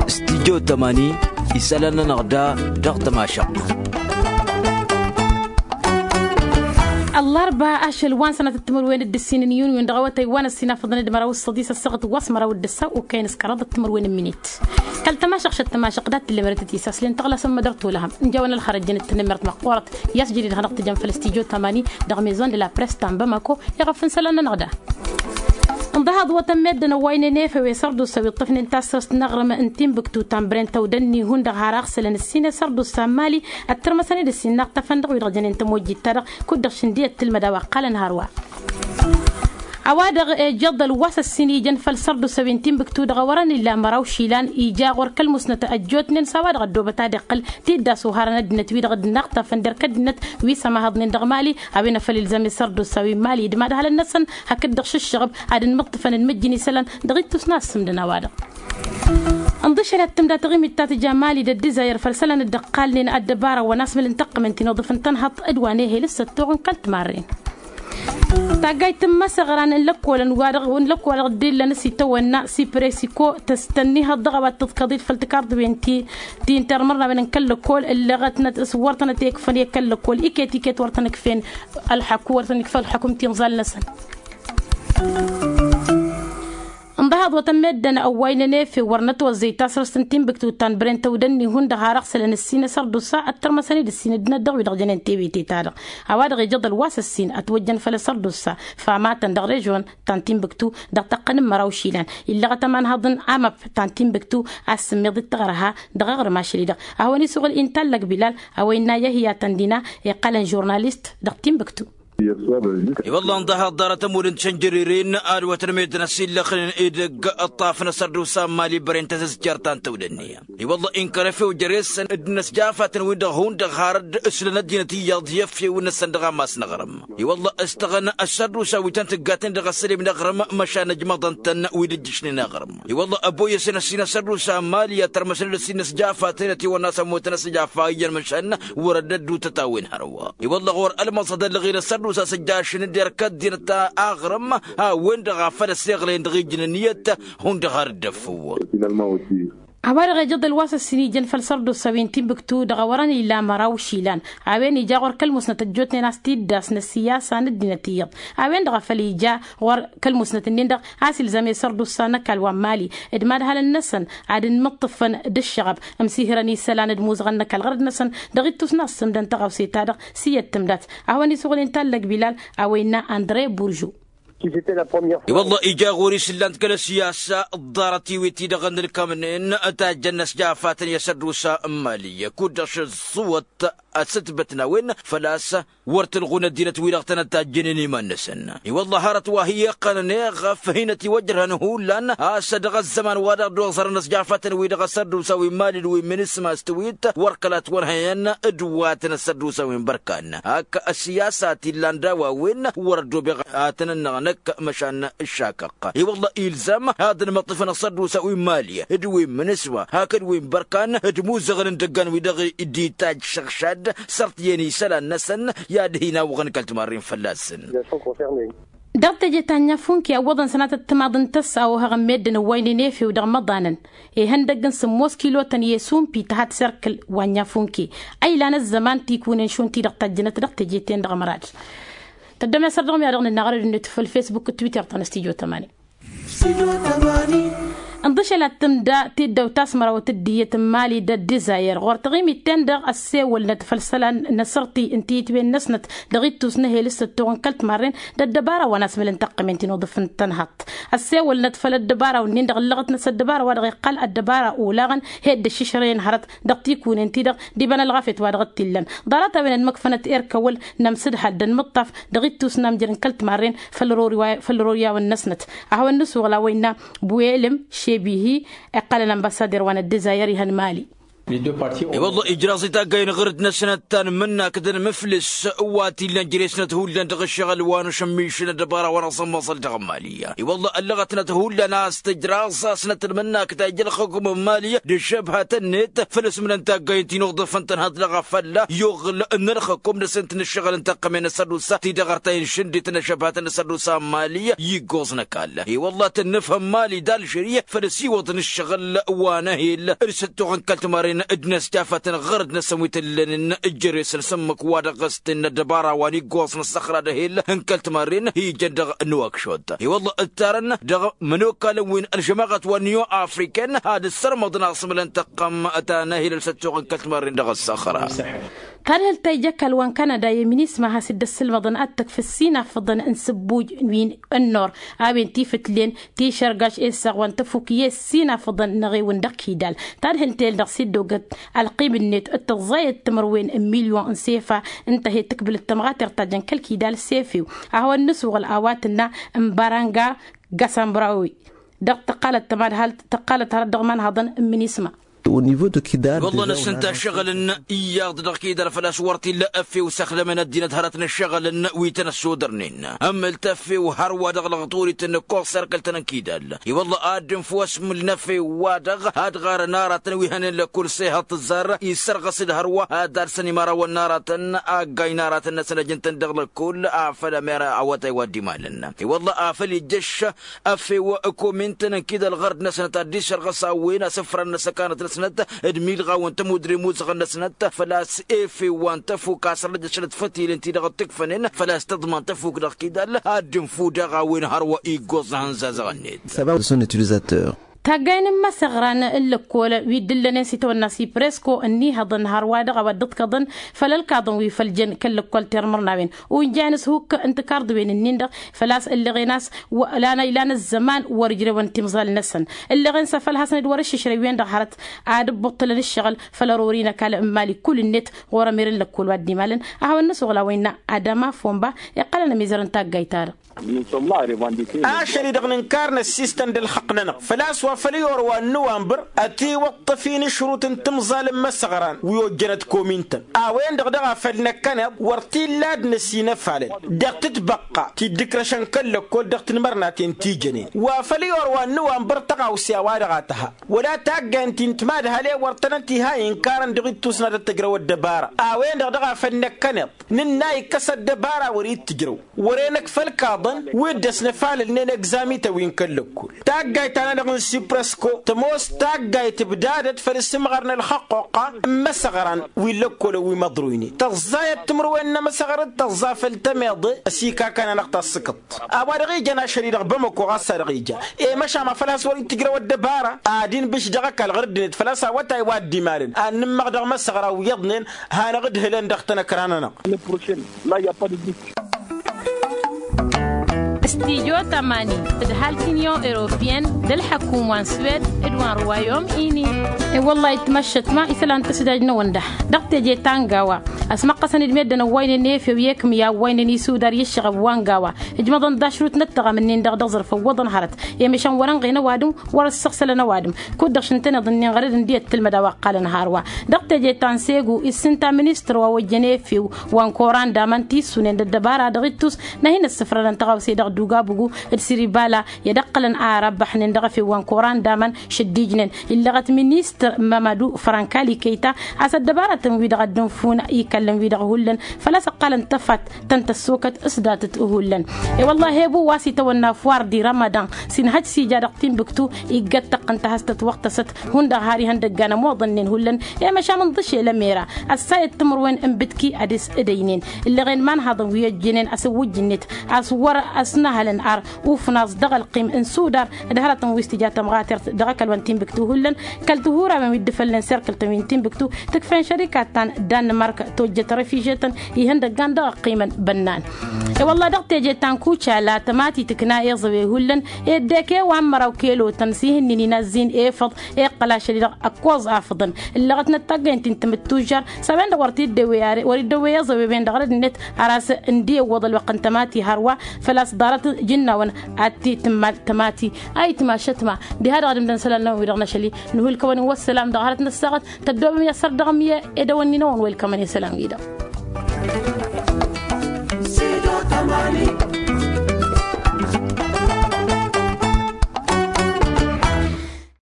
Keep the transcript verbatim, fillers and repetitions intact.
Studyo tămani isălan-nănăɣ da dăɣ-tămašăɣt. Ăllarba ašăl wa n-sănatăt timǝrwen d-ǝssin n-yunwen dăɣ-awătay wa n-ăssinafăḍăn d-măraw s-săḍis ăssaɣăt wa s-măraw d-ăssaw okăyăn s-kăraḍăt timǝrwen n-minit. Kăl-tămašăɣšăt tămašăɣt dat-tǝllemărătăt isaslen tăɣlasăn mădăr tolăhăm n-jawăn ălxărăjjăn d-tǝnnǝmert măqqoorăt i-a-s jădid hanăɣ-tǝjăm făll-studyo tămani dăɣ-maison de la press ta n-bamako. Iɣăf n-isălan-nănăɣ da. Ǝnḍăhaḍ wătăn meddǝn ăwwaynen efew i-sărdusa wi ǝṭṭăfnen tasrăst n-aɣrǝm n-tinbǝktu ta n-bren tăwdănni hundăɣ har aɣsălăn ǝssin i-sărdusa n-mali. Ăttărmăsăn-dd ǝssin n-aɣtăfăn dăɣ-wi-dăɣ jănen tămojjit-ta-dăɣ kud-dăɣ šǝndǝyăt tǝlmăd a-wa ǝqqalăn hărwa. A-wa-dăɣ ejăḍăl wa s-ǝssin ijăn făll-sărdusa wi n-tinbǝktu dăɣ-a wărăn illa măraw išilan ija ɣur-kăl-musnăt ăjjootnen s-a-wa-dăɣ ăddoobăt ad-iqqǝl tiddas uharăn ăddinăt-wi-dăɣ dd-inaɣtafăn d-erk ăddinăt wi s-ămahăḍnen dăɣ-mali. A-wen a făl ilzam i-sărdusa wi n-mali d-imadhalăn-năsăn hakd-dăɣ šǝššăɣăb ad-ǝnmǝṭṭǝfăn d-imǝjjǝn isălan dăɣ-ittus n-assǝmdăn a-wa-dăɣ. Ǝnḍǝšăl ad-tǝmda taɣimit ta tǝja mali d-ăddizayăr făll-isălan dd-ǝqqalnen ăddăbara wa n-asmǝl n-taqqǝmăn ti n-oḍǝf n-tănhăḍt d-wa n-ehel s-săttuɣ n-kăl-timarren. Taggayt n-imăsăɣran n-lăkkolăn wa-dăɣ n-lăkkolăn dăɣ-dd-illăn s-itawănna sipresiko tăstănnihăḍ dăɣ-a-wa t-tǝḍkăḍit făll-tikarḍǝwen ti n-termărnawen n-kăl-lăkkol ǝlleɣătnăt s-wăr tănăt-ekfăn i-kăl-lăkkol iket-iket wăr tăn-ǝkfen ălḥăku wăr tăn-ikfa ălḥăkum tinẓal-năsăn. Ǝnḍăhaḍ wătăn meddǝn ăwwaynen efew wăr nătwăzzăy tasrăst n-tinbǝktu ta n-bren tăwdănni hundăɣ har ăɣsălăn ǝssin asărdusa ăttărmăsăn-dd ǝssin ăddinăt dăɣ-wi-dăɣ jănen tewete-ta-dăɣ. A-wa-dăɣ ijăḍăl wa s-ǝssin ătwăjjăn făll-asărdusa famatăn dăɣ-režion ta n-tinbǝktu dăɣ-tăqqăn n-măraw išilan illăɣăt ămanhăḍ n-amăp ta n-tinbǝktu a-s sǝmmiḍ d-taɣărha dăɣ-aɣrǝm ašăl-i-dăɣ. A hawăn-isuɣǝl inta n-lăgbǝlal a-wa innă yăhya tăndina iqqălăn žurnalist dăɣ-tinbǝktu. I-wălla ǝnḍăhaḍ ḍarăt ămud n-tišănjăreren ad-wătăn meddǝn ăsillăxnen edăgg ǝṭṭaf n-asărdusa n-mali băren tăzǝzjăr ta n-tăwdănni. I-wălla inkăr efew jere-săn d-inăsjafatăn-win-dăɣ hundăɣ har dd-ǝslăn ăddinăt iyyăḍ i-efew-năsăn dăɣ-ammas n-aɣrǝm. I-wălla ǝstăɣăn asărdusa wi tăn-tǝggatăn dăɣ-asălim n-aɣrǝm măšan ǝjmăḍăn-tăn wi dd-ǝjjǝšnen aɣrǝm. I-wălla ăboyăsăn ăssin asărdusa n-mali ad-tărmăsăn d-ăssin n-asjafat-enăt i-wănna a-s ămmutăn asjafat iyyăn măšan wăr-ădd ăddutăt a-wen hărwa. I-wălla ɣur-ălmăẓăd ălɣil asărdusa s-ǝjjašăn d-erk ăddinăt aɣrǝm a-wen-dăɣ a făl ăsseɣlăyăn dăɣ-ijǝn ǝnniyăt. Hundăɣ har dd-ăffǝw. A-wa-dăɣ ijăḍ ălwa s-ăssin ijăn făll-sărdusa wi n-tinbǝktu dăɣ-a wărăn illa măraw išilan a-wen ija ɣur-kăl-musnăt ăjjootnen a-s tiddas n-ăssiyasa n-ăddinăt iyyăḍ. A-wen-dăɣ a făl ija ɣur-kăl-musnăt-ǝnnin-dăɣ a-s ilzam i-sărdusa n-ăkall wa n-mali d-imadhalăn-năsăn ad-ǝnmǝṭṭǝfăn d-ǝššăɣăb ǝmsihărăn isălan d-imuzăɣăn n-ăkall ɣărăd-năsăn dăɣ-ittus n-assǝmdăn tăɣawse-ta-dăɣ. S-iyyăt tǝmdat a hawăn-isuɣǝl inta n-lăgbǝlal a-wa innă andre buržu. I-wălla ija ɣur-i s-ǝllan-t kăl-ăssiyasa ḍarăt-i-wi t-idăɣăn ǝlkămnen tajjăn n-ăsjafatăn i-asărdusa n-mali kud-dăɣ šăẓẓuwăt ăssǝtbătna a-wen făl-a-s wăr t-ǝlɣun ăddinăt-wi-dăɣ tănăt-tajjănen iman-năsăn. I-wălla hărăt wa hi-iqqănăn eɣăf hin-ătiwăjrăhăn hullan a-s dăɣ-ăzzăman wa dăɣ-dd-oẓărăn ăsjafatăn-wi-dăɣ asărdusa wi n-mali d-wi n-minisma s-tǝwit wăr kăla ătwănhăyăn d-wa tăn-ăssărdusa wi n-bărkan. Ak ăssiyasa ti ǝllan daw-a-wen wăr-ăddobeɣ ad-tăn-ănnăɣ năkk măšan ǝššakăɣ. I-wălla ilzam ad-ănmăṭṭifăn ăṣṣăddusa wi n-mali d-wi n-minǝswa hakd wi n-bărkan d-imuzăɣăn n-idăggan-wi-dăɣ dd-itajj šăɣšad sărt iyyăn isălan-năsăn i-ad-hin-awăɣăn kăl-timarren fălla-săn. Dăɣ-teje ta n-nyafunke ăwwăḍăn sănatăt timaḍ n-tăssa ohăɣ n-meddǝn ăwwaynen efew dăɣ-imăḍanăn ihăndăgg n-sǝmmos kilotăn i-esumpi tăha tiserkǝl wa n-nyafunke a ilan ăzzăman tikunen šund-ti-dăɣ tajjǝnăt dăɣ-teje-ten-dăɣ ămrad. Tăddom i-asăr dăɣ-mi a dăɣ-nǝnnaɣ ărăd-net făll-fesbuk d-twitter ta n-studyo tămani. Ǝnḍǝšăl ad-tǝmda tiddawt ta s-mărawăt d-iyyăt n-mali d-ăddizayăr ɣur-taɣimit-ten-dăɣ ăssewălnăt făll-isălan n-asărti n-tiyǝtwen-năsnăt dăɣ-ittus n-ehel s-săttoɣ n-kăl-timarren. D-ăddăbara wa n-asmǝl n-taqqǝmen ti n-uḍǝf n-tănhăḍt ăssewălnăt făll-ăddăbara-wǝnnin-dăɣ ǝllăɣătnăt s-ăddăbara wa dăɣ-iqqal ăddăbara olaɣăn. Hed d-ăššǝšrăyăn hărăt dăɣ-tikunen-ti-dăɣ d-iba n-ălɣafyăt wa dăɣ-t-illăn. Ḍarăt-a-wen ănmăkfănăt erk awăl n-amsǝdhal d-ănmǝṭṭaf dăɣ-ittus n-amjăr n-kăl-timarren făll-ărori wa făll-ărori a-wen-năsnăt. A hawăn-nǝsuɣǝl a-wa innă buwelǝm šebihi iqqălăn ănbăssader wa n-ăddezayăr ihăn mali. I-wălla ijraẓ-i taggay n-aɣrǝd-năsnăt ta n-imǝnnakdăn mǝflǝs wa t-illan jere-snăt hullan dăɣ-ǝššăɣǝl wa n-ašămmišăn ăddăbara wa n-aẓămmăẓăl dăɣ-mali. I-wălla ăllăɣătnăt hullan a-s tǝjraẓ a-s năt-ălmǝnnakdăn ija ălxǝkum n-mali d-ăššăbhătăn-net făl ăsmǝlăn taggay n-tinuḍǝfăn tănhăḍ dăɣ-afălla i-uɣǝl n-ălxǝkum dăɣ-s ǝntǝnǝššăɣǝl n-tăqqămen n-asădusa ti-dăɣ ărtayăn šǝndităn ăššăbhătăn n-asădusa n-mali. Iggoẓ n-ăkall i-wălla tănnǝfhăm mali d-alžeri făl ăsiwăḍăn ǝššăɣǝl wa n-ehel d-săttoɣ n-kăl-timarren d-inăsjafătăn ɣărăt-năsăn wi t-ǝllănen. Jere-săn s-ǝmmǝk wa dăɣ-s tǝnnă ăddăbara wa n-iggoẓ n-ăssăxra d-ehel n-kăl-timarren ijăn dăɣ-nuwăkšot i-wălla ǝttarăn dăɣ-imănokalăn wi n-ălžămaɣăt wa n-niyo afriken ad-ǝssărmăḍăn asmǝlăn tăqqăm ta n-ehel d-săttoɣ n-kăl-timarren dăɣ-ăssăxra. Tadhǝlt ta ija ăkall wa n-kanada i-minisma has-dd-ăssǝlmăḍăn ad-tǝkf ǝssinafăḍăn n-sǝbbuj wi n-ănnor a-wen tifǝtlen tišărgaš essaɣ wa n-tăfuk i-ăssinafăḍăn n-eɣewăn dăɣ-kidal. Tadhǝlt-el dăɣ-s dd-ogăt ălqim-net d-tăẓẓayăt timǝrwen n-milyon n-sefa ǝnta he-tǝkbǝlăt tămɣatert ta jăn kăl-kidal sefiw a hawăn-nǝsuɣǝl a-wa tǝnna n-baranga gasambrawi dăɣ-tăqqalăt tămadhalt tăqqalăt hărăt dăɣ-imanhăḍăn n-minisma. Wălla năsǝnta ăššăɣǝlăn iyyăḍ dăɣ-kidal făl-a-s wăr t-illa ăffew s-ăxdămăn ăddinăt hărăt n-ăššăɣǝlăn wi tăn-ăssodărnen ămmăl tăffew hărwa dăɣ-lăɣturit n-ăkkoẓ serkăl-tăn n-kidal. I-wălla ad-dd-infǝw ăsmǝl n-ăffew-wa-dăɣ ad-ɣarăn aratăn wi hănen lăkkul s-ehăḍ tǝzzar issărɣăs-dd hărwa ad-ad-săn imărawăn n-aratăn aggay n-aratăn-năsăn ăjǝn-tăn dăɣ-lăkkul afăl ămera awătay wa dd-imalăn. I-wălla afăl ijjăš ăffew ăkomin-tăn n-kidal ɣărd-năsnăt ad-dd-išărɣăs a-wen asǝfran n-asăkanăt-năsnăt d-milɣaw n-tămudre imuzăɣăn-năsnăt făl-a-s efew wa n-tăfuk a-s ărrăjăšălăt fătilen ti-dăɣ dd-tǝkfănen făl-a-s tăḍman tăfuk dăɣ-kidal ad-dd-infǝw daɣ a-wen hărwa iggoẓ n-ihănzazăɣ-net. Taggay n-imăsăɣran n-lăkkol wi dd-ǝllănen s-itawănna sipresko ǝnnihăḍăn hărwa-dăɣ a-wa dd-ǝḍkăḍăn făll-ălkaḍăn wi făl jăn kăl-lăkkol termărnawen unjan s-hukk n-tikarḍǝwen-ǝnnin-dăɣ făl-a-s ǝllăɣen a-s ilan ăzzăman wăr-ǝjrewăn timẓal-năsăn. Ǝllăɣen s-afăl hasăn-dd wăr-ǝššǝšrăw-en-dăɣ hărăt ad-ǝbbuṭṭǝlăn ǝššăɣǝl făll-ărori n-ăkall n-mali kull-net ɣur-ămer n-lăkkol wa dd-imalăn. A hawăn-nǝsuɣǝl a-wa innă adama fomba iqqălăn ămizăr n-taggayt-ta-dăɣ. Ašăl-i-dăɣ nǝnkar năssiistăn d-ălxăqq-nănăɣ făl-a-s wa făl i-orwa n-nǝwanbăr ătiwăṭṭăf-in ǝšrut n-timẓal n-imăsăɣran wi ojjănăt komin-tăn a-wen-dăɣ daɣ a făl năkkăneḍ wăr t-illa ad-năsinăfalăl dăɣ-tǝtbăqqa ti dd-ǝkrăšăn kăl-lăkkol dăɣ-tinmărnaten ti jănen wa făl i-orwa n-nǝwanbăr tăɣawse a-wa-dăɣ a tǝha wăla taggayăn ti n-timadhalen wăr tănăn-t-iha inkarăn dăɣ-ittus n-ad-ăttăjrăw ăddăbara a-wen-dăɣ daɣ a făl năkkăneḍ nǝnna ikkăs ăddăbara wăr-ittǝjrăw wăren ăkf ălkaḍăn wi dd-ăsnăfalălnen egzamităn wi n-kăl-lăkkol. Taggayt-ta-nănăɣ n-siprăsko tămoos taggayt ǝbdadăt făll-asǝmɣar n-ălxăqquqqa n-imăsăɣran wi n-lăkkolăn wi măḍruynen tăẓẓayăt timǝrwen n-emăsăɣrăt tăẓẓa făll-tămeḍe ăsikaka-nănăɣ ta s-sǝkǝḍt. A-wa dăɣ-ijăn ašăl-i-dăɣ bămăko ɣas a dăɣ-ija i-măšan ma făl has-wăr-ittǝjrăw ăddăbara ad-inbǝš dăɣ-ăkall ɣur-ăddinăt făl-a-s awătay wa dd-imalăn ad-nǝmmăɣ dăɣ-imăsăɣra wi iyyăḍnen hanăɣ-dd-hǝlăn dăɣ-tănăkra-nănăɣ. Stijo tamani d-halk union europeyenne d-ălḥăkum wa n-swed d-wa n-ruwayom ini. I-wăllah itmăššăt ma isălan tǝsdaj n-awănda dăɣ-teje ta n-gawa ăsmăqqăsăn-dd meddǝn ăwwaynen efew i-ekǝm i-awwaynen isudar i-ǝššăɣăb wa n-gawa ǝjmăḍăn dašrut n-ăttăɣam-ǝnnin-dăɣ dăɣ-zărf ăwwăḍăn hărăt. I-măšan wăr-ănɣen ăwadǝm wăr-ăssăɣsălăn ăwadǝm kud-dăɣ šǝntăneḍ-ǝnnin ɣărăd ǝndi ăttǝlmăd a-wa ǝqqalăn hărwa. Dăɣ-teje ta n-segu issǝnta ministăr wa ojjăn efew wa n-koran d-aman tissunen d-ăddăbara dăɣ-ittus n-ad-hin-ăssǝfrănăn tăɣawse dăɣ-dugabugu d-siribala i-ad-ăqqălăn a răbbăḥnen dăɣ-efew wa n-koran d-aman šăddijnen illăɣăt ministăr mamadu frankali kăyta a-s ăddăbaratăn-wi-dăɣ a dd-ǝnfun ikallăn-wi-dăɣ hullan făl-a-s ăqqalăn tăfat tăn-tăssokăt s-datăt hullan. I-wăllah ebu wa s-itawănna fuwar di ramadan s-inhăj s-ija dăɣ-tinbǝktu iggăt tăqqăn tahăstăt wăɣtăsăt hundăɣ har ihăndăggan ămoḍănnen hullan. I-măšan ǝnḍǝšel ămera ăssayăt timǝrwen n-bǝtki ad-s-ǝdăynen ǝllăɣen imanhaḍăn wi ăjjănen asǝwwǝjj-net a-s wăr-ăsnăhălăn ar ufnaẓ dăɣ-ălqim n-sudar d-hărătăn wi s-tǝja tămɣatert dăɣ-ăkall wa n-tinbǝktu hullan kăl-tihurawen wi dd-ifălnen serkǝl-tăn wi n-tinbǝktu tǝkfen šărikat ta n-danmărk. Jăt refižetăn ihăndăggan dăɣ-ăqqimăn bănnan. E-wălla dăɣ-teje ta n-kucala tămati tǝkna iẓăwe hullan. Ed dek-e wa n-măraw kelotăn s-ihǝnnin inazzin efăḍ. Iqqăl ašăl-i-dăɣ ăkkoẓ afǝḍăn ǝllăɣătnăt taggăyăn ti n-tamǝttužžar s-a-wen-dăɣ wăr t-dd-ewwe a-s wăr-dd-ewwe i-iẓăwe-wen-dăɣ rădd-net. Har a-s ǝndi ăwwăḍ ălwăqq n-tămati hărwa făl-a-s ḍarăt jǝnnawăn ad-t-tǝmmal tămati. Ayǝtma ašătma diha-dăɣ ad-ǝmdăn isălan-năwăn-wi-dăɣ n-ašăl-i. Nǝhulkăwăn-in wăsselam dăɣ-hărăt n-ăssaɣăt tăddoobăm i-asărdăɣăm i-edăwănni-năwăn welkămăn i-isălan-wi-dăɣ.